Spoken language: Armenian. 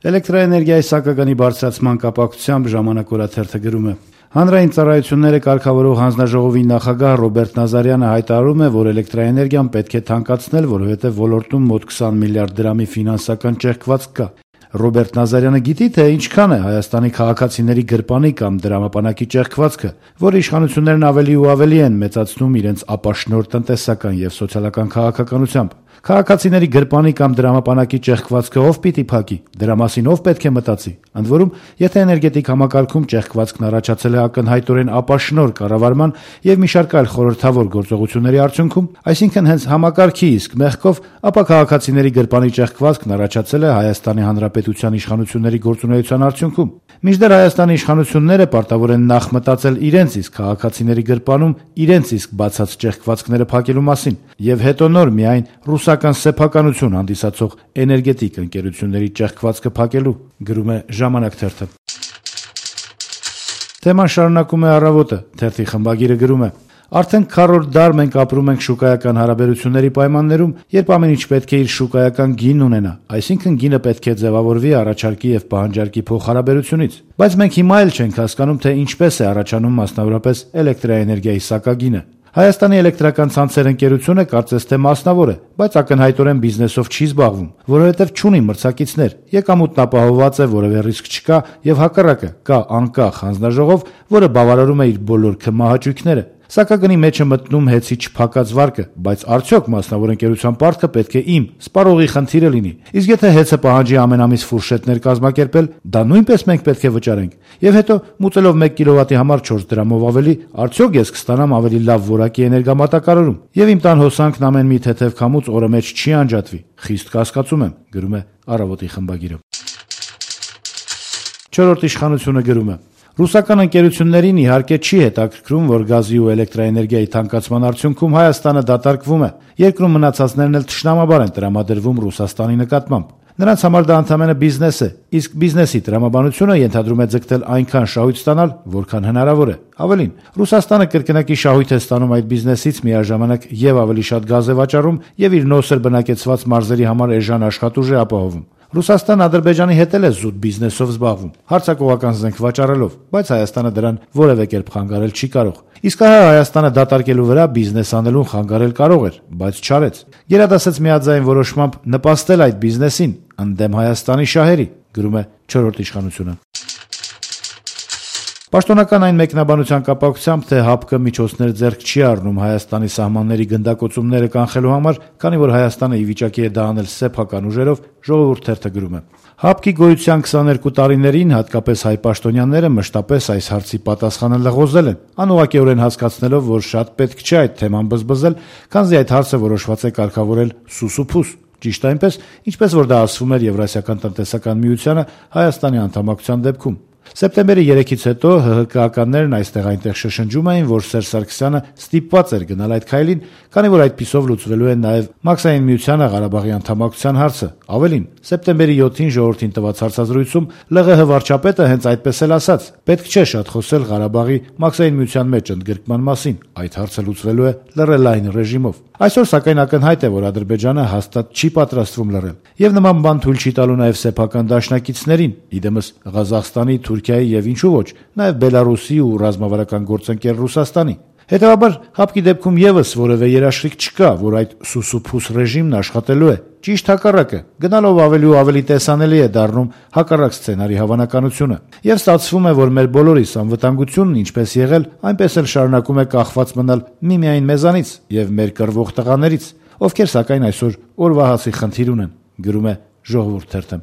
Էլեկտրաէներգիայի սակագանի բարձրացման կապակցությամբ Ժամանակ օրաթերթը գրում է. Հանրային ծառայությունները կարգավորող հանձնաժողովի նախագահ Ռոբերտ Նազարյանը հայտարարում է, որ էլեկտրաէներգիան պետք է թանկացնել, որովհետև ոլորտում մոտ 20 միլիարդ դրամի ֆինանսական ճեղքվածք կա։ Ռոբերտ Նազարյանը գիտի, թե ինչքան է Հայաստանի քաղաքացիների գրպանի կամ դրամապանակի ճեղքվածքը, որ իշխանություններն ավելի ու ավելի են մեծացնում իրենց ապաշնորհ տնտեսական եւ սոցիալական քաղաքականությամբ։ Քաղաքացիների գրպանի կամ դրամապանակի ճեղքվածքը ով պիտի փակի, դրա մասին ով պետք է մտածի։ Ընդ որում, եթե էներգետիկ համակարգում ճեղքվածքն առաջացել է ակնհայտորեն ապաշնորհ կառավարման եւ մի շարք այլ խորհրդավոր գործողությունների արդյունքում, այսինքն հենց համակարգի իսկ մեղքով, ապա քաղաքացիների գրպանի ճեղքվածքն առաջացել է Հայաստանի Հանրապետության իշխանությունների գործունեության արդյունքում։ Մինչդեռ Հայաստանի իշխանությունները պարտավոր են նախ մտածել իրենց իսկ քաղաքացիների գրպանում իրենց իսկ բացած ճեղքվածքները փակելու մասին եւ հետո նոր միայն ռուսական սեփականություն հանդիսացող էներգետիկ ընկերությունների ճեղքվածքը փակելու, գրում է Ժամանակ թերթը։ Թեման շարունակում է Առավոտը, թերթի խմբագիրը գրում է. Արդեն քառորդ դար մենք ապրում ենք շուկայական հարաբերությունների պայմաններում, երբ ամեն ինչ պետք է իր շուկայական գինն ունենա, այսինքն գինը պետք է ձևավորվի առաջարկի եւ պահանջարկի փոխհարաբերությունից։ Բայց մենք հիմա էլ չենք հասկանում, թե ինչպես է առաջանում մասնավորապես էլեկտրաէներգիայի սակագինը։ Հայաստանի էլեկտրական ցանցեր ընկերությունը կարծես թե մասնավոր է, բայց ակնհայտորեն բիզնեսով չի զբաղվում, որովհետև չունի մրցակիցներ, եկամուտն ապահովված է, որևէ ռիսկ չկա եւ հակառակը կա անկախ հանձնաժողով, որը բավարարում է իր բոլոր քմահաճույքները։ Սակագնի մեջ է մտնում հեծի չփակած վարկը, բայց արդյոք մասնավոր ընկերության պարտքը պետք է իմ սպառողի խնդիրը լինի։ Իսկ եթե հեծը պահանջի ամեն ամիս ֆուրշետներ կազմակերպել, դա նույնպես մենք պետք է վճարենք։ Եվ հետո մուծելով 1 կիլովատի համար 4 դրամով ավելի, արդյոք ես կստանամ ավելի լավ որակի էներգամատակարարում։ Եվ իմ տան հոսանքն ամեն մի թեթև քամուց օրը մեջ չի անջատվի։ Խիստ կասկածում եմ, գրում է Առավոտի խմբագիրը։ Չորրորդ իշխանությունը գրում է. Ռուսական ընկերություններին իհարկե չի հետաքրքրում, որ գազի ու էլեկտրաէներգիայի թանկացման արդյունքում Հայաստանը դատարկվում է։ Երկրում մնացածներն էլ թշնամաբար են տրամադրվում Ռուսաստանի նկատմամբ։ Նրանց համար դա ընդամենը բիզնես է, իսկ բիզնեսի տրամաբանությունը ենթադրում է ձգտել այնքան շահույթ ստանալ, որքան հնարավոր է։ Ավելին, Ռուսաստանը կրկնակի շահույթ է ստանում այդ բիզնեսից միաժամանակ եւ ավելի շատ գազ է վաճառում եւ իր նոսր բնակեցված մարզերի համար էժան աշխատուժ է ապահովում։ Ռուսաստանը Ադրբեջանի հետ էլ է զուտ բիզնեսով զբաղվում, հարձակողական զենք վաճառելով, բայց Հայաստանը դրան որևէ կերպ խանգարել չի կարող։ Իսկ ահա Հայաստանը դատարկելու վրա բիզնես անելուն խանգարել կարող էր, բայց չարեց։ Գերադասեց միաձայն որոշմամբ նպաստել այդ բիզնեսին ընդդեմ Հայաստանի շահերի, գրում է Չորրորդ իշխանությունը։ Պաշտոնական այն մեկնաբանության կապակցությամբ, թե ՀԱՊԿ միջոցներ ձեռք չի առնում Հայաստանի սահմանների գնդակոծումները կանխելու համար, քանի որ Հայաստանը ի վիճակի է դա անել սեփական ուժերով, Ժողովուրդ թերթը գրում է. ՀԱՊԿ-ի գոյության 22 տարիներին հատկապես հայ պաշտոնյաները մշտապես այս հարցի պատասխանը լղոզել են, անուղղակիորեն հասկացնելով, որ շատ պետք չէ այդ թեման բզբզել, քանզի այդ հարցը որոշված է կարգավորել սուսուփուս։ Ճիշտ այնպես, ինչպես որ դա ասվում էր Եվրասիական տնտեսական միությանը Հայաստանի անդամակցության դեպքում։ Սեպտեմբերի 3-ից հետո ՀՀԿ-ականներն այստեղ-այնտեղ շշնջում էին, որ Սերժ Սարգսյանը ստիպված էր գնալ այդ քայլին, քանի որ այդպիսով լուծվելու է նաև Մաքսային միությանը Ղարաբաղի անդամակցության հարցը։ Ավելին, սեպտեմբերի 7-ին ժողովրդին տված հարցազրույցում ԼՂՀ վարչապետը հենց այդպես էլ ասաց. պետք չէ շատ խոսել Ղարաբաղի Մաքսային միության մեջ ընդգրկման մասին, այդ հարցը լուծվելու է լռելային ռեժիմով։ Այսօր սակայն ակնհայտ է, որ Ադրբեջանը հաստատ չի պատրաստվում լռել, եւ նման բան թույլ չի տալու նաև սեփական դաշնակիցներին, իդեմս Ղազախստանի, Թուրքիայի եւ ինչու ոչ, նաև Բելարուսի ու ռազմավարական գործընկեր Ռուսաստանի։ Հետևաբար ՀԱՊԿ-ի դեպքում եւս որևէ երաշխիք չկա, որ այդ սուսուփուս ռեժիմն աշխատելու է։ Ճիշտ հակառակը, գնալով ավելի ու ավելի տեսանելի է դառնում հակառակ սցենարի հավանականությունը։ Եվ ստացվում է, որ մեր բոլորիս անվտանգությունն ինչպես եղել, այնպես էլ շարունակում է կախված մնալ միմիայն մեզանից եւ մեր կռվող տղաներից, ովքեր սակայն այսօր օրվա հացի խնդիր ունեն, գրում է Ժողովուրդ թերթը։